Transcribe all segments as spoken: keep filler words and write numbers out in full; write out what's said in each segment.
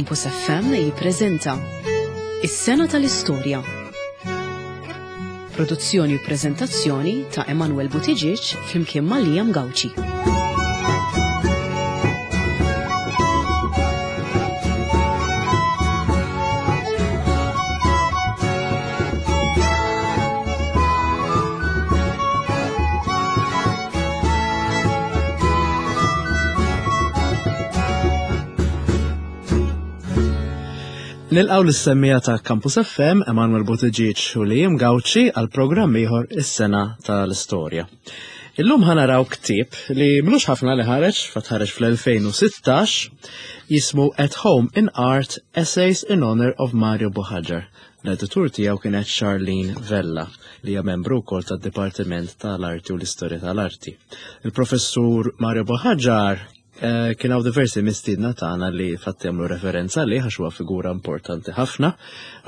Campus F M jippreżenta Is-Sena tal-Istorja. Produzzjoni u prezentazzjoni ta' Emanuel Buttigieg flimkien ma' Liam Gauci. Nilqgħu lis-semmiegħa ta' Campus F M, Emanuel Buttigieg u Liam Gauci, għal programm ieħor, Is-Sena tal-Istorja. Illum ħa naraw ktieb li m'ilux ħafna li ħareġ, fatt ħareġ fl-elfejn u sittax, jismu At Home in Art: Essays in Honor of Mario Buhagiar. L-editur tiegħu kienet Charlene Vella, li hija membru wkoll tad-Dipartiment tal-Arti u l-Istorja tal-Arti. Il-professur Mario Buhagiar eh, kien hawn diversi mistiedna tagħna li fatti jagħmlu referenza li għax huwa figura importanti ħafna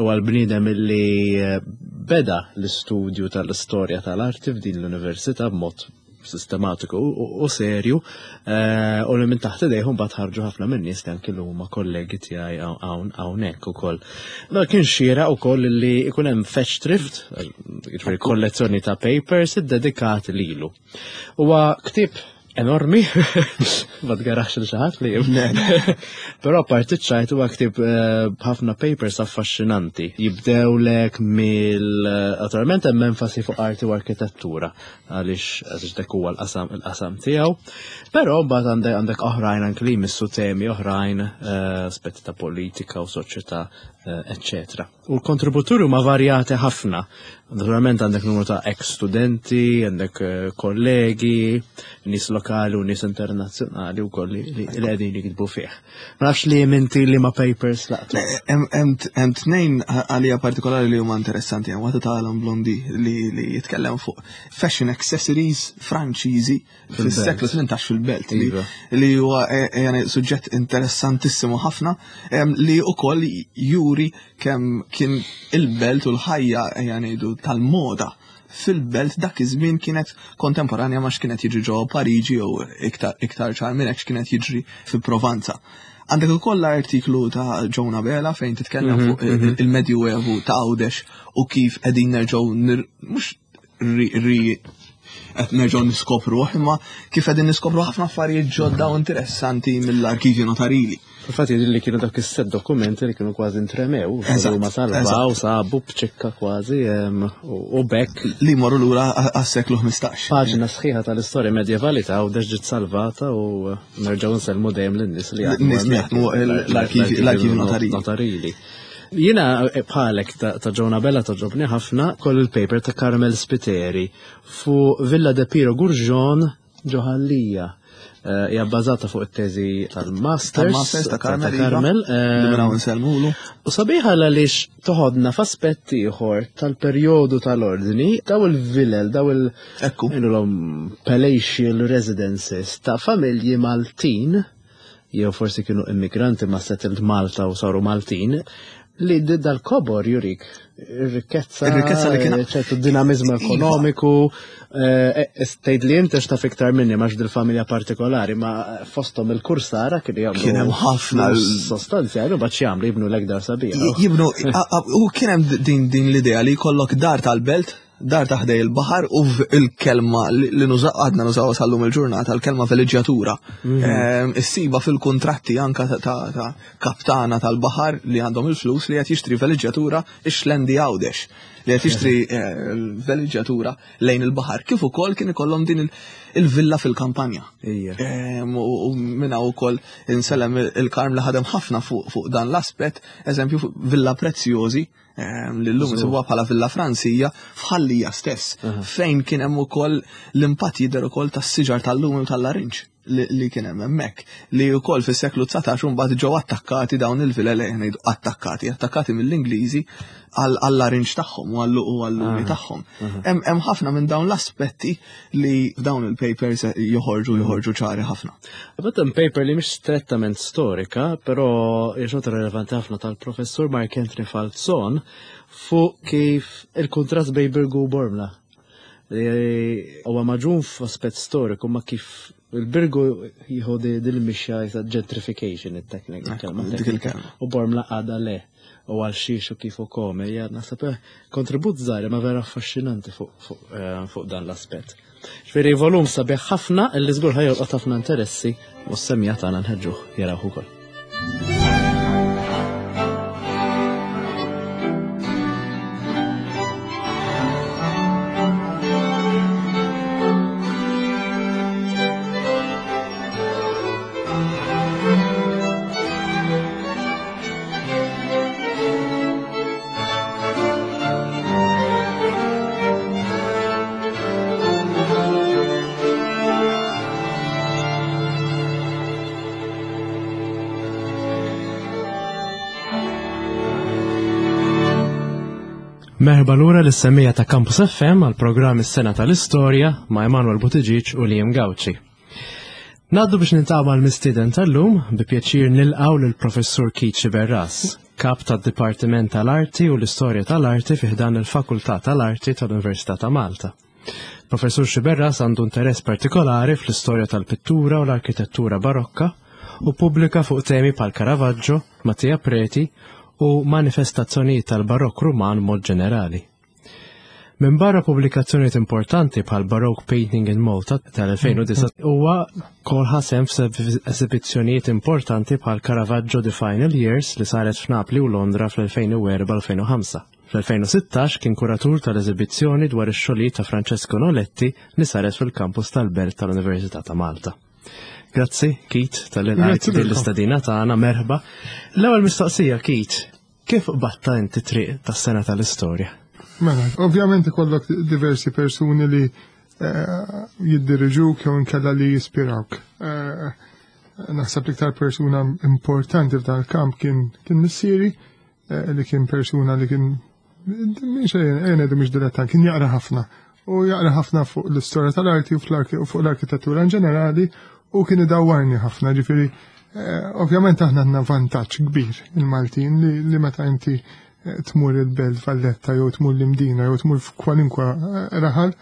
u għal bniedem li eh, beda l-istudju tal-istorja tal-arti f'din l-università b'mod sistematiku u, u serju eh, u li minn taħt idejhom mbagħad ħarġu ħafna minn nies li anki huma kollegi tiegħi hawn hawnhekk ukoll. Da kien xieraq ukoll li ikun hemm Festschrift, jiġifieri kollezzjoni ta' papers iddedikati lilu. Huwa ktieb enormi, ma tgarax lil xi ħadd li Però parti ċajt, huwa ktieb eh, b'ħafna papers affaxxinanti. Jibdew lek mill naturalment hemm enfasi fuq arti u arkitettura, għaliex għaliex dak huwa l-qasam il-qasam tiegħu. Però mbagħad għandek għandek oħrajn anke li jmissu temi oħrajn, eh, aspetti ta' politika u soċjetà, eh, eccetera. U l-kontributuri huma varjati ħafna. Naturalment għandek numru ta' ex-studenti, għandek eh, kollegi, nies lokali u nies internazzjonali u koll li li qegħdin jiktbu fih. Ma nafx li inti li ma papers laqtu. Hemm tnejn għalija partikolari li huma interessanti, hemm waħda ta' Alan Blondi li li jitkellem fuq fashion accessories Franċiżi fis-seklu tmintax fil-belt li Iva. li huwa eh, eh, suġġett interessantissimu ħafna em, li ukoll juri kemm kien il-belt u l-ħajja, ejja ngħidu, tal-moda fil-belt dak iż-żmien kienet kontemporanja ma x'kienet jiġri ġewwa Pariġi jew iktar iktar ċar minn hekk x'kienet jiġri fi Provanza. Għandek ukoll l-artiklu ta' Jonah Bela fejn titkellem Mhm, fuq il- il-Medjuevu ta' Għawdex u kif qegħdin nerġgħu nir- mhux ri, ri qed nerġgħu niskopru, imma kif qegħdin niskopru ħafna affarijiet ġodda u interessanti mill-arkivju notarili. Infatti li kienu dak is-set dokumenti li kienu kważi intremew, Eżatt, ma salvaw, eżatt. sabu b'ċikka kważi em, u u bekk li morru lura għas-seklu ħmistax. Paġna sħiħa tal-istorja medjevali ta' Għawdex ġiet salvata u nerġgħu nsellmu dejjem lin-nies li jaħdmu Nies li hemmhekk, jaħdmu l-arkivji- l-arkivji notarili. notarili. Jiena eh, bħalek ta' ta' Jonah Bella togħġobni ħafna koll il-paper ta' Carmel Spiteri fuq Villa de Piro Gurgion ġo Ħal Lija. Eh, Hija bbażata fuq it-teżi tal-Masters Tal-Masters ta' Carmel, ta' Carmel. Iva, li minn hawn ehm, insellmulu. U sabiħa għaliex toħodna f'aspett ieħor tal-perjodu tal-ordni, daw il-vilel, daw il- Ekku. ngħidulhom palatial residences ta' familji Maltin, jew forsi kienu immigranti ma settled Malta u saru Maltin, li d- dal-kobor jurik ir-rikkezza, Ir-rikkezza li kien- ċertu dinamizmu Iva. ekonomiku, eh, tgħid li inti taf iktar minni max dil-familja partikolari, ma fostom il-kursara kienu jagħmlu Kien hemm ħafna flus sostanzjali u bad jagħmlu jibnu l-ekdar sabiħa. Jibnu, a- a- u kien hemm din din l-idea li jkollok dar tal-belt, dar ta' ħdej il-baħar u v- il-kelma li li nuża għadna nużaw sal-lum il-ġurnata, il-kelma veleġġjatura. Ehm, Issiba fil-kontratti anka ta' ta' ta' kaptana tal-baħar li għandhom il-flus li qed jixtri veleġġjatura ix-Xlendi Għawdex, li qed jixtri eh, veleġġjatura lejn il-baħar. Kif ukoll kien ikollhom din il- il-villa fil-kampanja. Ija. Ehm, U u minna u koll insellem il-Karm li ħadem ħafna fuq fuq dan l-aspet, eżempju fuq Villa Preziosi, ehm, li l-lum nsibuha bħala Villa Franzija f'Ħal Lija stess, fejn kien hemm ukoll l-impatt jidher ukoll tas-siġar tal-lumi u tal-larinġ li, li kien hemm hemmhekk, li wkoll fis-seklu dsatax mbagħad ġew attakkati dawn il-vilel, ngħidu attakkati, attakkati mill-Ingliżi għall-larinġ tagħhom u għall- u għall-lumi tagħhom. Hemm hemm ħafna minn dawn l-aspetti li f'dawn il-papers joħorġu joħorġu ċari ħafna. Għabattem paper li mhix strettament storika, però hija xorta relevanti ħafna, tal-professur Mark Anthony Falzon fuq kif il-kontrast bejn Birgu u Bormla. Li huwa maġun f'aspett storiku ma kif Il-Birgu jieħu dil-mixja ta' gentrification, it-teknika. Dik il-kelma. U Bormla għada le, u għal xiex u kif u kome, hija naħseb eh, kontribut żgħir ma vera affaxxinanti fuq eh, fuq dan l-aspett. Ġifieri volum sabiħ ħafna illi żgur ħa jolqot ħafna interessi u s-semmiegħa tagħna nħeġġuh jarawh ukoll. Merħba lura lis-semmiegħa ta' Campus F M għal programm Is-Sena tal-Istorja ma' Emanuel Buttigieg u Liam Gauci. Ngħaddu biex niltaqgħu mal-mistieden tal-lum. Bi pjaċir nilqgħu lill-Professur Keith Sciberras, kap tad-Dipartiment tal-Arti u l-Istorja tal-Arti fi ħdan il-Fakultà tal-Arti tal-Università ta' Malta. Professur Sciberras għandu interess partikolari fl-istorja tal-pittura u l-arkitettura barokka u pubblika fuq temi bħal Caravaggio, Mattia Preti u manifestazzjonijiet tal-barokk Ruman mod ġenerali. Minn barra pubblikazzjonijiet importanti bħal Baroque Painting in Malta tal-elfejn u disgħa, huwa kol ħa sehem f'eżibizzjonijiet importanti bħal Caravaggio The Final Years li saret f'Napli u Londra fl-elfejn u erbgħa-elfejn u ħamsa. Fl-elfejn u sittax kien kuratur tal-eżibizzjoni dwar ix-xogħlijiet ta' Francesco Noletti li saret fil-kampus tal-Belt tal-Università ta' Malta. Grazzi, Keith, talli lqajt Grazzi din l-istedina tagħna, merħba. L-ewwel mistoqsija, Keith, kif qbadt inti triq tas-sena tal-istorja? Mela, ovvjament ikollok diversi persuni li eh, jiddiriġuk jew inkella li jispirawk. Eh, naħseb l-iktar persuna importanti f'dan il-kamp kien kien missieri, eh, li kien persuna li kien mhix ngħidu mhix dilettant, kien jaqra ħafna. U jaqra ħafna fuq l-istorja tal-arti u fuq l-arkitettura in ġenerali u kien idawwarni ħafna, ġifieri eh, ovvjament aħna għandna vantaġġ kbir il-Maltin li, li meta inti eh, tmur il-Belt Valletta jew tmur l-Imdina jew tmur f'kwalinkwa eh, raħal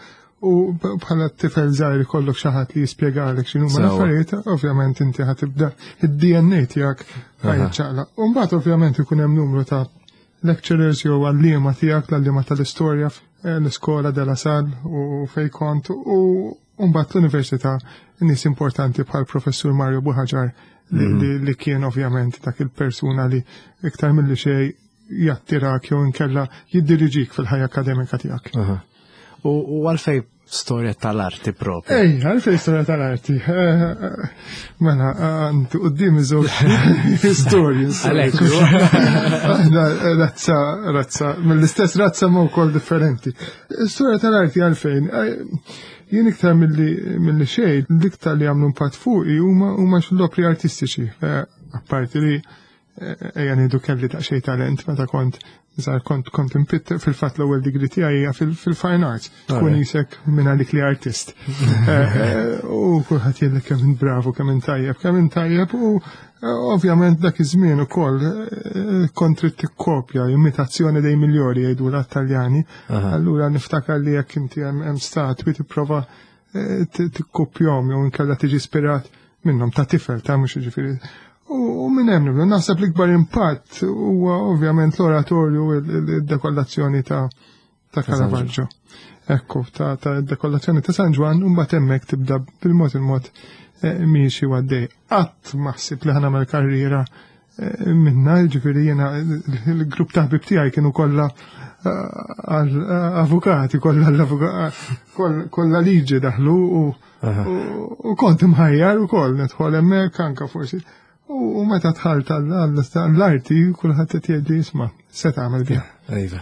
u bħala tifel żgħir ikollok xi ħadd li jispjegalek x'inhuma l-affarijiet, ovvjament inti ħa tibda id-D N A tiegħek ħa jiċċaqlaq. U mbagħad ovvjament ikun hemm numru ta' lecturers jew għalliema tiegħek, l-għalliema tal-istorja l-iskola De La Salle u fej kont u mbagħad l-università, nies importanti bħal professur Mario Buhagiar li, mm. li, li kien ovvjament dak il-persuna li iktar mill-li xej jattirak jew inkella jiddiriġik fil-ħajja akademika tiegħek. U għalfej storja tal-arti propju? Ej, għalfej storja tal-arti. Eh, eh, mela, għandi quddiemi żewġ historians. Razza, razza, mill-istess razza ma wkoll differenti. Storja tal-arti għalfejn. Eh, jien iktar mill-li xejn, l-iktar li għamlu impatt fuqi huma huma l-opri artistiċi. Apparti li ejja ngħidu kelli daqsxejn talent meta kont żgħar, kont kont inpitter. Fil-fatt l-ewwel degree tiegħi hija fil-fine arts. Tkun qisek minn għalik li artist. Eh, eh, u kulħadd jgħidlek kemm int bravo, kemm int tajjeb, kemm int tajjeb u eh, ovvjament dak iż-żmien ukoll kont trid tikkopja, imitazzjoni dei migliori jgħidu l-Taljani. Allura niftakar li jekk inti hemm statwi tipprova tikkopjahom jew inkella tiġi ispirat minnhom ta' tifel ta' mhux ġifieri. U minn hemm nibdew, naħseb l-ikbar impatt huwa ovvjament l-oratorju, il-dekollazzjoni ta' ta' Caravaggio. Ekku, ta' ta' dekollazzjoni ta' San Ġwann, u mbagħad hemmhekk tibda bil-mod il-mod eh, miexi għaddej. Qatt ma ħsibt li ħa nagħmel karriera eh, minna, ġifieri jiena il-grupp ta' ħbib tiegħi kienu kollha eh, avukati, kollha kollha liġi daħlu u u kont imħajjar ukoll nidħol hemmhekk anka forsi. U meta dħalt għall-arti, kulħadd qed jgħidli, "Isma', se tagħmel biha?" Iva.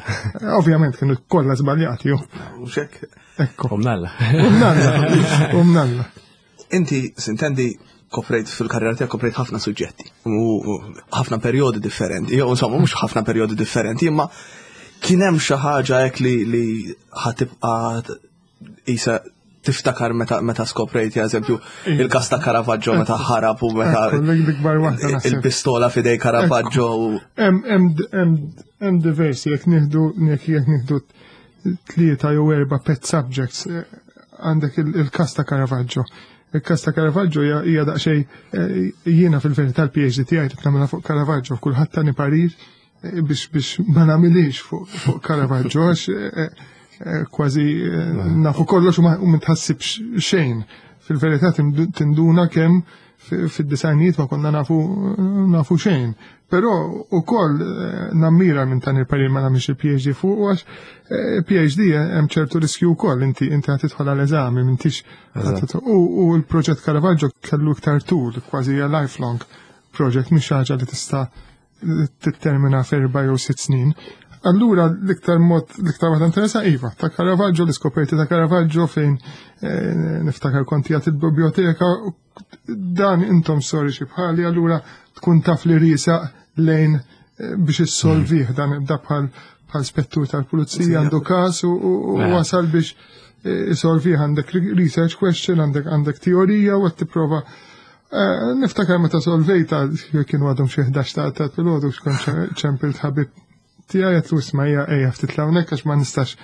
Ovvjament kienu kollha żbaljati. U xek. Ekku. Umnalla. Umnalla. Umnalla. Inti, sintendi, koprejt fil-karriera tiegħek koprejt ħafna suġġetti u ħafna perjodi differenti. Jew insomma mhux ħafna perjodi differenti, imma kien hemm xi ħaġa hekk li li ħa tibqa' isa tiftakar meta meta skoprejt, eżempju, il-kas ta' Caravaggio meta ħarab u meta L-ikbar waħda naħseb. il-pistola f'idej Caravaggio u Hemm diversi, jekk nieħdu jekk jekk nieħdu tlieta jew erba' pet subjects, eh, għandek il-kas ta' Caravaggio. Il-kas ta' Caravaggio hija daqsxejn jiena fil-verità l-P H D tiegħi qed nagħmilha fuq Caravaggio, kulħadd tani parir biex biex ma nagħmilix fuq Caravaggio għax kważi nafu kollox u ma tħassibx xejn. Fil-verità tinduna kemm fid-disajnijiet ma konna nafu nafu xejn. Però ukoll nammira minn tan il-parir ma nagħmilx il-P H D fuq, għax P H D hemm ċertu riskju wkoll, inti inti ħa tidħol għal eżami m'intix u l-proġett Caravaggio kellu iktar tul, kważi hija lifelong project, mhix ħaġa li tista' tittermina f'erba' jew sitt snin. Allura l-iktar mod, l-iktar waħda interessa iva, ta' Caravaggio, l-iskoperti ta' Caravaggio fejn niftakar konti għat il-biblioteka, dan intom storiċi bħali, allura tkun taf li risa lejn biex issolvih dan da bħal bħal spettur tal-pulizija għandu kas u wasal biex isolvih, għandek research question, għandek għandek teorija u għat tipprova. Niftakar meta solvejta, kienu għadhom xi ħdax ta' ta' filgħodu, xkont ċempilt ħabib tiegħi, għedtlu, "Isma' ejja ejja ftit hawnhekk għax ma nistax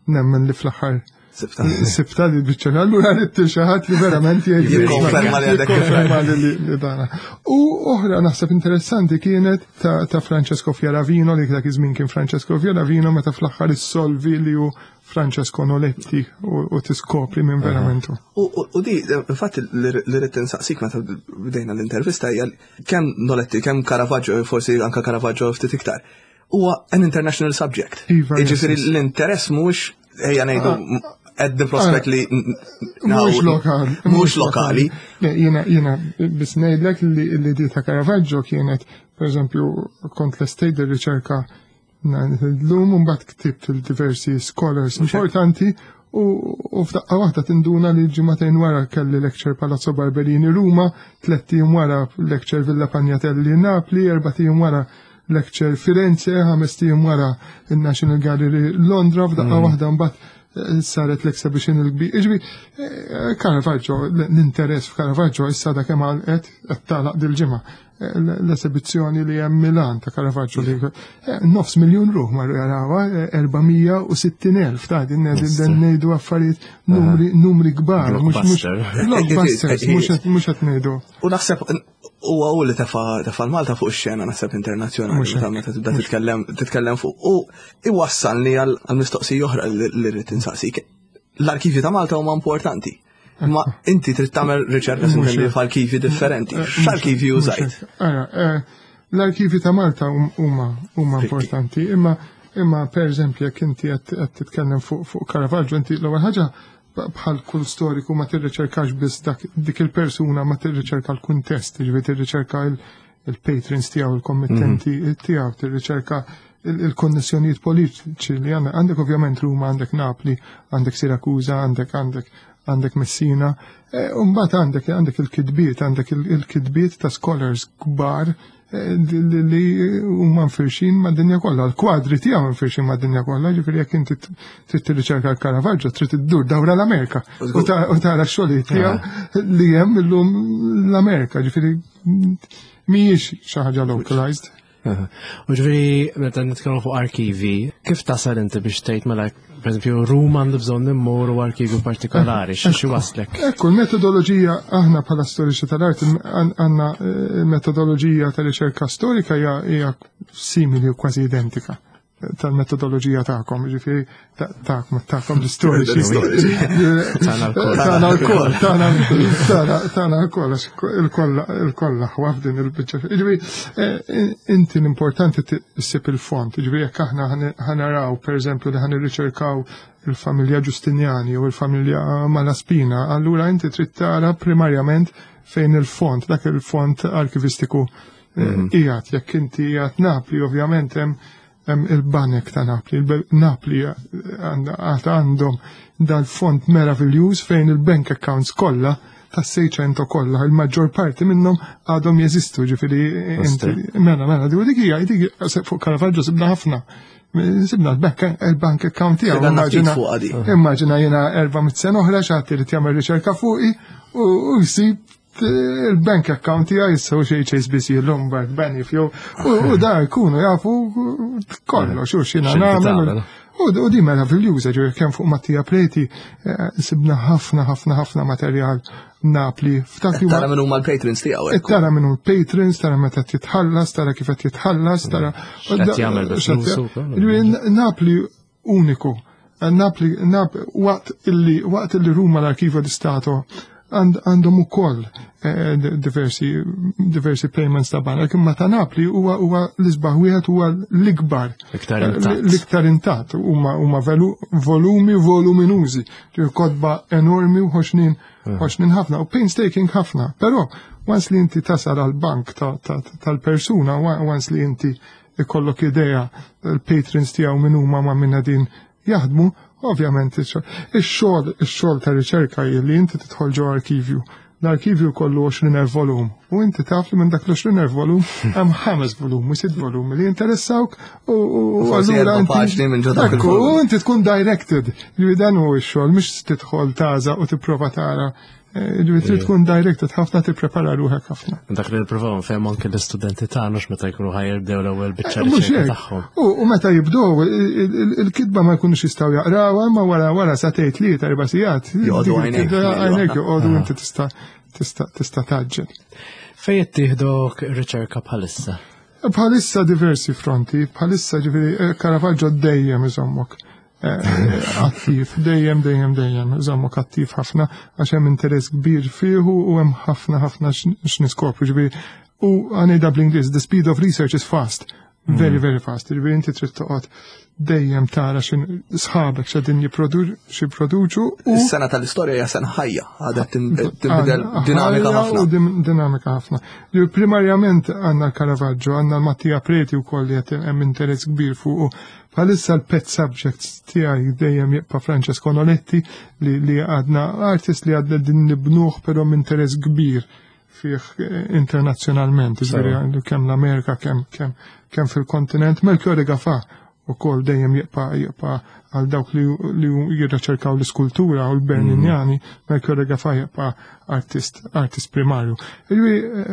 nemmen li fl-aħħar sibta li biċċa." Allura ridt xi ħadd li verament jgħid Jikkonferma li għadek. Jikkonferma li li dana. U oħra naħseb interessanti kienet ta' ta' Francesco Fioravino, li dak iż-żmien kien Francesco Fioravino, meta fl-aħħar issolvi li hu Francesco Noletti u u tiskopri minn verament hu. U u- u di, infatti li rrid insaqsik meta bdejna l-intervista hija kemm Noletti, kemm Caravaggio, forsi anka Caravaggio ftit iktar, huwa an international subject. Iva, yes, Jiġifieri yes. l-interess mhux, ejja ngħidu, at the prospect li Mhux lokali. Mhux lokali. Le, Jiena jiena biss ngħidlek li li di ta' Caravaggio kienet, per eżempju, kont l-estate riċerka l-lum, mbagħad ktibt il-diversi scholars importanti u u f'daqqa waħda tinduna li ġimagħtejn wara kelli lecture Palazzo Barberini Ruma, tlett ijiem wara lecture Villa Pignatelli Napli, erbat ijiem wara lecture Firenze, ħamest ijiem wara il-National Gallery Londra, f'daqqa waħda mbagħad eh, saret l-exhibition il-kbir. Iġbi, eh, Caravaggio, l-interess f'Caravaggio issa da kemm għalqet, qed tagħlaq dil-ġimgħa. Eh, L-esibizzjoni li hemm Milan ta' Caravaggio li eh, nofs miljun ruħ marru jarawha, eh, erba' mija u sittin elf ta' din din ngħidu affarijiet numri numri kbar, mhux mhux Blockbuster. Blockbusters, mhux qed- mhux qed ngħidu. U naħseb huwa hu li tefa tefa l-Malta fuq ix-xena, naħseb, internazzjonali Mhux meta hekk. meta tibda titkellem titkellem fuq u iwassalni għal għal mistoqsija oħra li li rrid insaqsik. L-arkivi ta' Malta huma importanti. Ma inti trid tagħmel riċerka Mhux sintendi hekk. f'arkivi differenti. X'arkivi użajt? Ara, eh, l-arkivi ta' Malta hum- huma huma importanti, imma imma per eżempju jekk inti qed qed titkellem fuq fuq Caravaggio, inti l-ewwel ħaġa bħal kull storiku ma tirriċerkax biss dak dik il-persuna, ma tirriċerka l-kuntest, jiġifieri tirriċerka il- il-patrons tiegħu, il-kommittenti tiegħu, tirriċerka il-konnessjonijiet politiċi li għandek. Għandek ovvjament Ruma, għandek Napli, għandek Sirakusa, għandek għandek għandek Messina, e, Mbagħad għandek għandek il-kitbiet, għandek il-kitbiet ta' scholars kbar eh, li li huma mfirxin mad-dinja kollha, l-kwadri tiegħu mfirxin mad-dinja kollha, ġifieri jekk inti trid tirriċerka l-Caravaggio, trid iddur dawra l-Amerika u ta- u tara x-xogħlijiet tiegħu li hemm illum l-Amerika, ġifieri mhijiex xi ħaġa localized. U ġifieri, meta nitkellmu fuq arkivi, kif tasal inti biex tgħid mela, per eżempju, Ruma għandu bżonn immur u arkivju partikolari, xi waslek? Ekku, l-metodoloġija, aħna bħala storiċi tal-art għandna eh, metodoloġija ta' riċerka storika hija hija simili u kważi identika tal-metodoloġija tagħkom, ġifieri tagħkom tagħkom l-istoriċi. Tagħna lkoll. Tagħna lkoll, tagħna tagħna tagħna lkoll, għax il-koll il-koll aħwa f'din il-biċċa. Ġifieri eh, inti l-importanti issib il-font, ġifieri jekk aħna ħa naraw pereżempju li ħa nirriċerkaw il-familja Giustiniani u il-familja Malaspina, allura inti trid tara primarjament fejn il-font, dak il-font arkivistiku eh, qiegħed. Jekk inti qiegħed Napli, ovvjament hemm hemm il-banek ta' Napli. Il-Napli għad għandhom dal-font meraviljuż fejn il-bank accounts kollha tas Seicento kollha, il-maġġor parti minnhom għadhom jeżistu, ġifieri inti mela mela di dik hija dik fuq Caravaggio sibna ħafna. Sibna l-bank il-bank account tiegħu. Għandna ftit Immaġina fuqha di. immaġina jiena erba' mitt sena oħra xi ħadd irid jagħmel riċerka fuqi u u jsib il-bank account tiegħi issa u xi H S B C Lombard Banif jew u u da jkunu jafu kollox u x'jiena X'inti nagħmel. tagħmel. U u di meraviljuża, ġifieri kemm fuq Mattia Preti eh, sibna ħafna ħafna ħafna materjal Napli. F'dak li huwa Tara minn huma l-patrons tiegħu. Eh, Tara minn patrons, tara meta titħallas, tara kif qed jitħallas, tara. X'qed jagħmel bi flusu wkoll. Ġifieri, Napli uniku. Napli, Nap, waqt illi, waqt illi Ruma l-Archivio di Stato għandhom ukoll eh, diversi diversi payments ta' banek, imma ta' Napli huwa huwa l-isbaħ wieħed huwa l-ikbar. Iktar intatt. L-iktar intatt huma huma volumi voluminużi, kotba enormi u ħoxnin ħoxnin ħafna u painstaking ħafna. Però once li inti tasal għal bank tal-persuna, once li inti ikollok idea il-patrons tiegħu min huma ma' minna din jaħdmu, ovvjament ix-xogħol ix-xogħol ta' riċerka li inti tidħol ġo arkivju. L-arkivju kollu għoxrin elf volum u inti taf li minn dak l-għoxrin elf volum hemm ħames volum u sitt volum li jinteressawk u allura paġni minn ġo dak il-volum. U inti tkun directed. Li dan hu x-xogħol mhux tidħol taża u tipprova tara. Ġifieri trid tkun directed ħafna, tipprepara ruħek ħafna. Dak li nippruvaw nfehmu anke l-istudenti tagħna meta jkunu ħa jibdew l-ewwel biċċa riċerka tagħhom. U meta jibdew il-kitba ma jkunux jistgħu jaqrawha, ma wara wara sagħtejn, tlieta, erba' sigħat. Joqogħdu għajnejk. Għajnejk joqogħdu, inti tista' tista' tista' tgħaġġel. Fejn qed tieħdok riċerka bħalissa? Bħalissa diversi fronti, bħalissa ġifieri Caravaggio dejjem iżommok attiv, dejjem, dejjem, dejjem, iżommok attiv ħafna, għax hemm interess kbir fihu u hemm ħafna ħafna x'niskopru, ġifieri u għanejda bl-Ingliż, the speed of research is fast, very, very fast, ġifieri inti trid toqgħod dejjem tara xin sħabek x'qegħdin jipproduċu. Is-sena tal-istorja hija sena ħajja, għadha tinbidel, dinamika ħafna. U dinamika ħafna. Primarjament għandna l-Caravaggio, għandna l-Mattia Preti wkoll li qed hemm interess kbir fuq. Bħalissa l-pet subjects tiegħi dejjem jibqa' Francesco Noletti li, li għadna artist li għadna din nibnuh, però interess kbir fih internazzjonalment, ġifieri kemm l-Amerika, kemm kemm kemm fil-kontinent. Melchiorre Gafà ukoll dejjem jibqa' jibqa' għal dawk li, li jirriċerkaw l-iskultura u l-Berninjani, Melchiorre Gafà jibqa' artist artist primarju. Ġifieri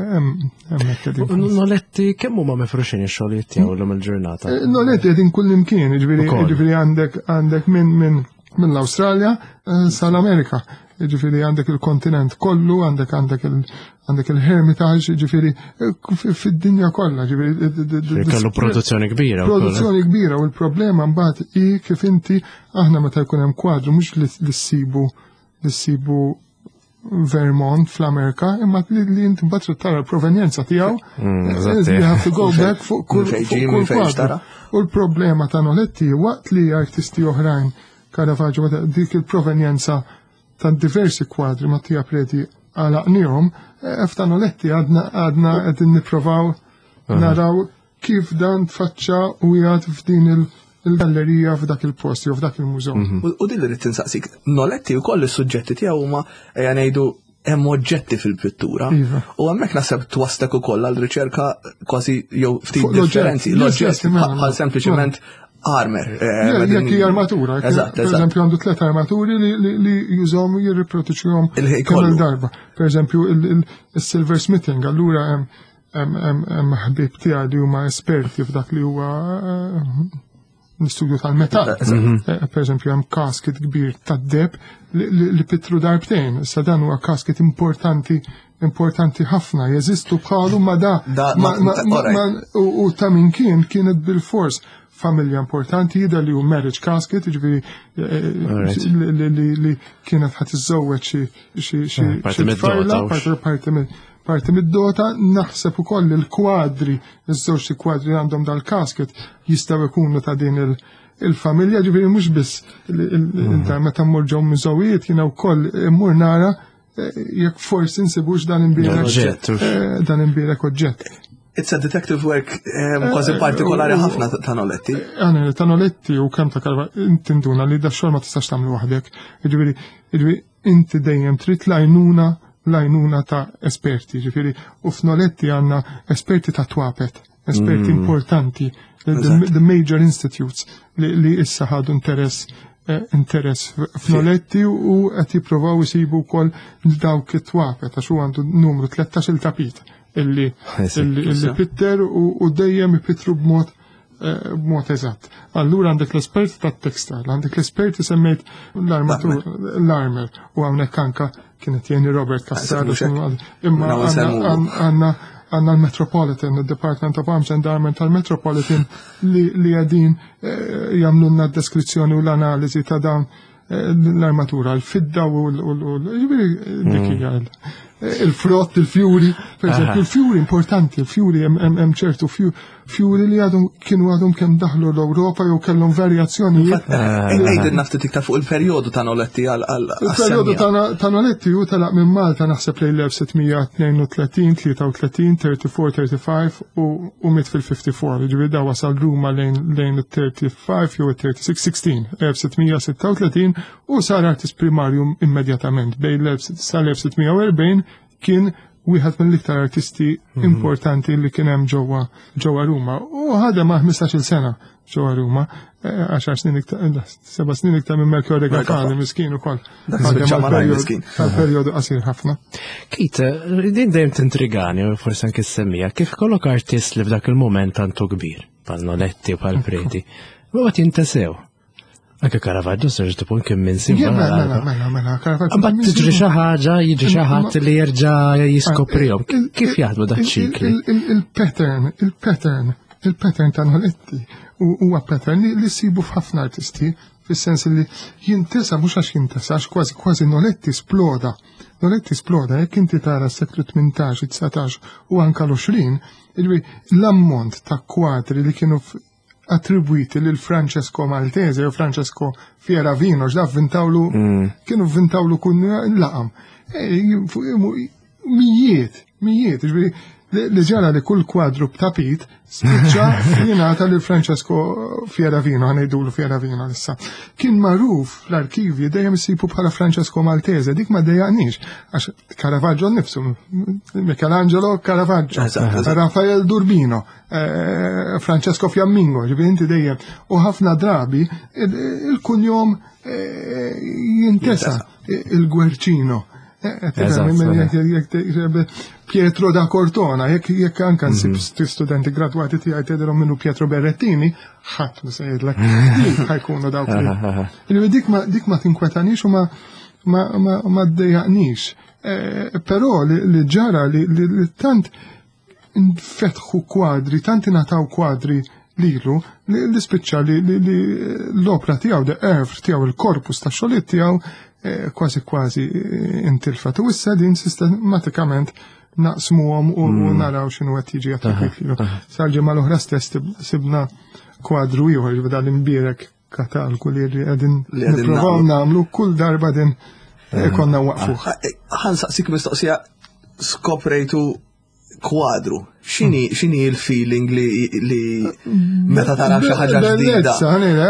hemmhekk qegħdin. Noletti kemm huma mifruxin ix-xogħlijiet tiegħu llum il-ġurnata? Eh, Noletti qegħdin kull imkien, ġifieri ġifieri għandek għandek minn minn mill-Awstralja eh, sal-Amerika. Ġifieri għandek il-kontinent kollu, għandek għandek il għandek il-Hermitage, ġifieri eh, fid-dinja kollha, ġifieri. Kellu produzzjoni kbira. Produzzjoni kbira, u l-problema mbagħad hi kif inti aħna meta jkun hemm kwadru mhux li ssibu li ssibu Vermont fl-Amerika, imma li inti mbagħad trid tara l-provenjenza tiegħu. Mm, you have to go back fuq kull kwadru. U l-problema ta' Noletti, waqt li artisti oħrajn, Caravaggio, dik il-provenjenza ta' diversi kwadri, Mattia Preti għalaqnihom, f'ta' Noletti għadna għadna qegħdin nipprovaw naraw kif dan tfaċċa u jgħad f'din il-gallerija f'dak il-post jew f'dak il-mużew. Mhm. U din li rrid tinsaqsik, Noletti wkoll is-suġġetti tiegħu huma, ejja ngħidu, hemm oġġetti fil-pittura. Iva. U hemmhekk naħseb twaslek ukoll għal riċerka kważi jew ftit differenzi, l-oġġetti bħal sempliċement armor. Eh, jekk hija armatura. Eżatt, Per eżempju għandu tliet armaturi li jużhom, jirriproduċuhom kemm il-darba. Per eżempju il-silversmithing, allura hemm ħbieb tiegħi li huma esperti f'dak li huwa eh, l-istudju tal-metall. Mhm. Eh, per eżempju hemm casket kbir tad-deheb li pittru darbtejn. Issa dan huwa casket importanti importanti ħafna, jeżistu bħalu ma da u ta' min kien kienet bil-fors familja importanti, jidher li hu marriage casket, ġifieri eh, li kienet ħa tiżżewweġ xi eh, tfajla, parti parti mid-dota. Naħseb ukoll il-kwadri, iż-żewġ kwadri għandhom dal-casket jistgħu jkunu ta' din il-familja, ġifieri mhux biss mhm. meta mmur ġew mużewijiet jiena wkoll immur nara eh, jekk forsi nsibux dan imbierek dan imbierek oġġett. It's a detective work kważi eh, partikolari ħafna ta' Noletti. Għana, ta' Noletti u kemm ta' Karva, tinduna li da xogħol ma tistax tagħmlu waħdek. Ġifieri, ġifieri inti dejjem trid l-għajnuna l-għajnuna ta' esperti, ġifieri, u f'Noletti għandna esperti ta' twapet, esperti mm. importanti, the, the major institutes li, li issa ħadu interess eh, interess f'Noletti u qed jippruvaw isibu wkoll dawk it-twapet għax hu għandu numru tlettax il-tapit illi illi pitter u dejjem ipittru b'mod eh, b'mod eżatt. Allura għandek l-esperti tat-textile, għandek l-esperti semmejt l-armatur, l-armor u hawnhekk anka Kienet jgħinni Robert Cassar, imma għandna għandna l-Metropolitan, il-Department of Arms and Armament tal-Metropolitan li qegħdin jagħmlulna d-deskrizzjoni u l-analiżi ta' dawn l-armatura, l-fidda u dik hija il-frott, il-fjuri, per eżempju, il-fjuri importanti, il-fjuri hemm ċertu fjuri li għadhom kienu għadhom kemm daħlu l-Ewropa jew kellhom varjazzjonijiet. Għidilna ftit iktar fuq il-perjodu ta' Noletti għal Il-perjodu ta' Noletti hu telaq minn Malta naħseb lejn l-elf sitt mija tnejn u tletin, tlieta u tletin, tlieta u erbgħin, ħamsa u erbgħin u miet fil-ħamsa u ħamsin. Ġifieri da wasal Ruma lejn il-tlieta u tletin jew il-tlieta u sittin, sittax, elf sitt mija sitta u tletin u sar artist primarju immedjatament. Bejn sal-elf sitt mija u erbgħin kien wieħed mill-iktar artisti mhm. importanti li kien hemm ġewwa ġewwa Ruma. U ħadem ma' ħmistax-il sena ġewwa Ruma, eh, għaxar snin iktar, eh, seba' snin iktar minn Melchiorre Gafani, miskin ukoll. Għal perjodu qasir ħafna. Kit, din dejjem tintrigani, forsi anke semmija, kif kollok artist li f'dak il-moment tantu kbir, bħal Noletti u bħal Preti, u għat jintesew. Anke Caravaggio serġ tipun kien minn sim. Mela, mela, mela, Caravaggio. Mbagħad tiġri xi ħaġa, jiġri xi ħadd li jerġa' jiskoprihom. Kif jaħdmu dak ċikli? Il-pattern, il-pattern, il-pattern ta' Noletti huwa pattern li sibu f'ħafna artisti, fis-sens li jintesa mhux għax jintesa, għax kważi kważi Noletti sploda. Noletti sploda, jekk inti tara s-seklu tmintax, dsatax u anka l-għoxrin, l-ammont ta' kwadri li kienu attribwiti lil Francesco Maltese u Francesco Fieravino, ġda vvintawlu, mm. kienu vvintawlu kun laqam. E, mijiet, mijiet, ġifieri li ġara li kull kwadru b'tapit spiċċa jingħata lil Francesco Fieravino, ħa ngħidulu Fieravino issa. Kien magħruf l-arkivji dejjem isibu bħala Francesco Maltese, dik ma dejjaqnix, għax Caravaggio nnifsu, Michelangelo Caravaggio, Rafael d'Urbino, eh, Francesco Fiammingo, ġifieri inti dejjem. U ħafna drabi il-kunjom eh, jintesa, il-Guercino. Eh, Pietro da Cortona, jekk jekk anka nsib mhm. studenti gradwati tiegħi tgħidilhom minnu Pietro Berrettini, ħadd ma se jgħidlek ħa jkunu dawk. Dik ma dik ma tinkwetanix u ma ma ma ddejjaqnix. Eh, però li ġara li tant nfetħu kwadri, tant ingħataw kwadri lilu li spiċċa li l-opra tiegħu, the oeuvre tiegħu, il-korpus ta' xogħlijiet tiegħu eh, kważi kważi eh, intilfet. U issa din sistematikament naqsmuhom u mm. naraw x'inhu qed jiġi attribwit lilu. Sal-ġimgħa l-oħra stess sibna kwadru ieħor, ġifieri dal-imbierek katalgu li qegħdin nippruvaw nagħmlu kull darba din eh, konna waqfuh. Ħa nsaqsik mistoqsija: skoprejtu kwadru. X'inhi x'inhi il-feeling li li meta tara xi ħaġa ġdida?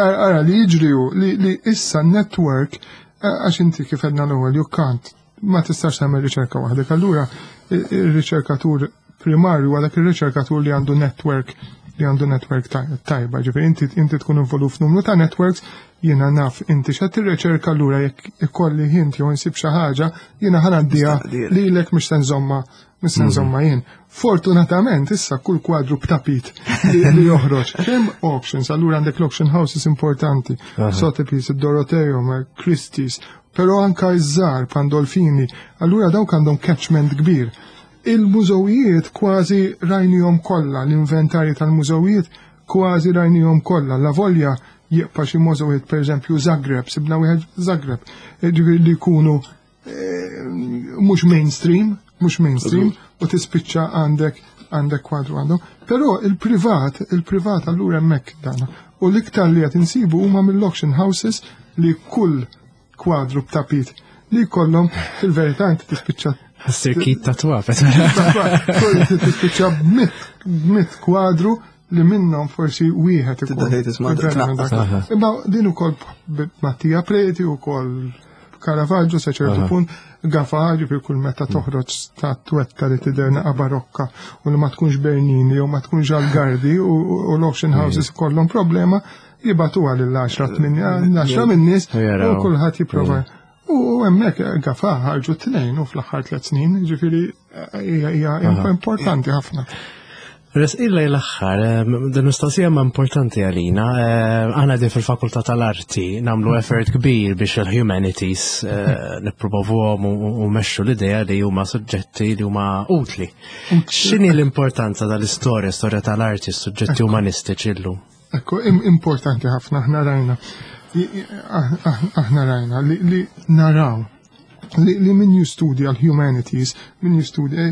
Ara li jiġri li li issa network, għax inti kif għedna l-ewwel, you can't, ma tistax tagħmel riċerka waħdek. Allura ir-riċerkatur primarju għadak ir-riċerkatur li għandu network li għandu network tajba, ġifieri inti inti tkun involut f'numru ta' networks, jiena naf inti x'qed tirriċerka, allura jekk ikolli hint jew insib xi ħaġa, jiena ħa ngħaddiha lilek, mhux se nżomma mhux se nżomma jien. Fortunatament issa kull kwadru b'tapit li joħroġ. Hemm auctions, allura għandek l-auction houses importanti, Sotheby's, Dorotheum, Christie's, però anka iż-żgħar Pandolfini, allura dawk għandhom catchment kbir. Il-mużewijiet kważi rajnihom kollha, l-inventarji tal-mużewijiet kważi rajnihom kollha. La volja jibqa' xi mużewijiet, pereżempju Zagreb, sibna wieħed Zagreb, ġifieri li jkunu eh, mhux mainstream, mhux mainstream, u tispiċċa għandek għandek kwadru għandhom. Però il-privat, il-privat allura hemmhekk dana. U l-iktar li qed insibu huma mill-auction houses li kull kwadru b'tapit li jkollhom, fil-verità inti tispiċċa Sirkit ta' twafet. Tispiċċa b'mitt kwadru li minnhom forsi wieħed ikun. Imma din ukoll Mattia Preti, ukoll Caravaggio sa ċertu punt, Gafà, ġifieri kull meta toħroġ statwetta li tidher naqa barokka u li ma tkunx Bernini jew ma tkunx Algardi u l-auction houses kollhom problema, jibagħtuha lil għaxra għaxra min-nies u kulħadd jipprova. U hemmhekk Gafà ħarġu tnejn u fl-aħħar tliet snin, ġifieri hija importanti ħafna. Resqin lejn l-aħħar, din mistoqsija ma importanti għalina. Aħna din fil-Fakultà tal-Arti nagħmlu effort kbir biex il-humanities eh, nippromovuhom u mmexxu l-idea li huma suġġetti li huma utli. X'inhi l-importanza tal-istorja, storja tal-arti, suġġetti umanistiċi llum? Ekku, importanti ħafna, aħna rajna. Aħna rajna li naraw li, li min jistudja l-humanities, min jistudja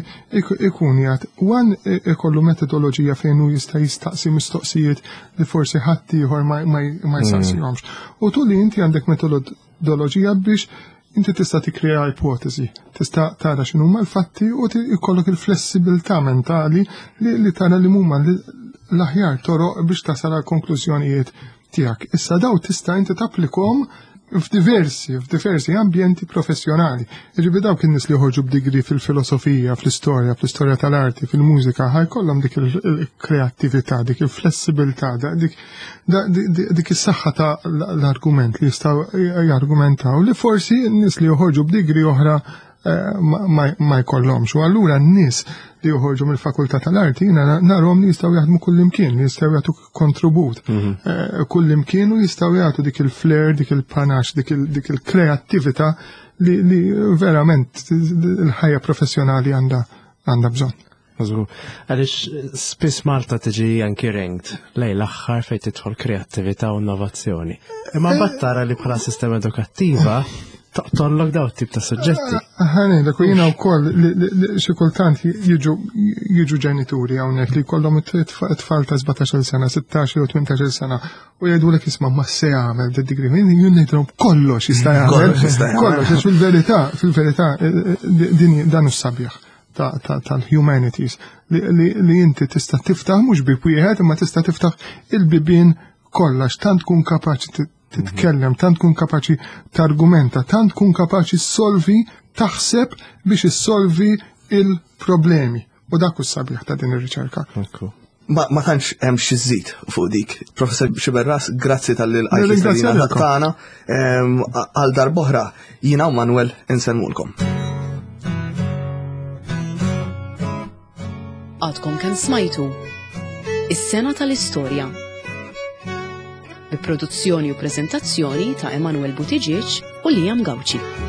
ikun jgħat, wan ikollu metodoloġija fejn hu jista' jistaqsi mistoqsijiet li forsi ħadd ieħor ma, ma, ma jsaqsihomx. U tu li inti għandek metodoloġija biex inti tista' tikkrea ipotezi, tista' tara x'inhuma l-fatti u jkollok il-flessibilità mentali li, li tara li huma l-aħjar toroq biex tasal għal konklużjonijiet tiegħek. Issa daw tista' inti tapplikom f'diversi, f'diversi ambjenti professjonali. Jiġifieri dawk in-nies li joħorġu b'degree fil-filosofija, fl-istorja, fl-istorja tal-arti, fil-mużika, ħa jkollhom dik il-kreattività, dik il-flessibilità, dik dik is-saħħa ta' l-argument li jistgħu jargumentaw li forsi n-nies li joħorġu b'degree oħra ma jkollhomx. U allura n-nies li joħorġu mill-fakultà tal-arti jiena narhom li jistgħu jaħdmu kullimkien, li jistgħu jagħtu kontribut kullimkien u jistgħu jagħtu dik il-flair, dik il-panache, dik il-kreattività li, li verament il-ħajja professjonali għandha għandha bżonn. Għaliex spiss Malta tiġi anki ranked lejn l-aħħar fejn tidħol kreattività u innovazzjoni. Imma mbagħad tara li bħala sistema edukattiva toqtollok daw tip ta' suġġetti. Ħanejlek, u jiena wkoll xi kultant jiġu jiġu ġenituri hawnhekk li jkollhom it-tfal ta' sbatax-il sena, sittax jew tmintax-il sena u jgħidulek isma' ma se jagħmel d-degree. Jien ngħidilhom kollox jista' jagħmel. Kollox, għax fil-verità, fil-verità din dan is-sabiħ tal-humanities li inti tista' tiftaħ mhux bib wieħed imma tista' tiftaħ il-bibien kollha tant tkun kapaċi titkellem, tant tkun kapaċi targumenta, tant tkun kapaċi solvi, taħseb biex issolvi il-problemi. U dak hu sabiħ ta' din ir-riċerka. Ma, ma tantx hemm xi żid fuq dik. Professor Sciberras, grazzi talli l-għajt tagħna għal darb'oħra jiena u Manuel insellmulkom. Għadkom kemm smajtu Is-sena tal-istorja. Bi produzzjoni u prezentazzjoni ta' Emanuel Buttigieg u Liam Gauci.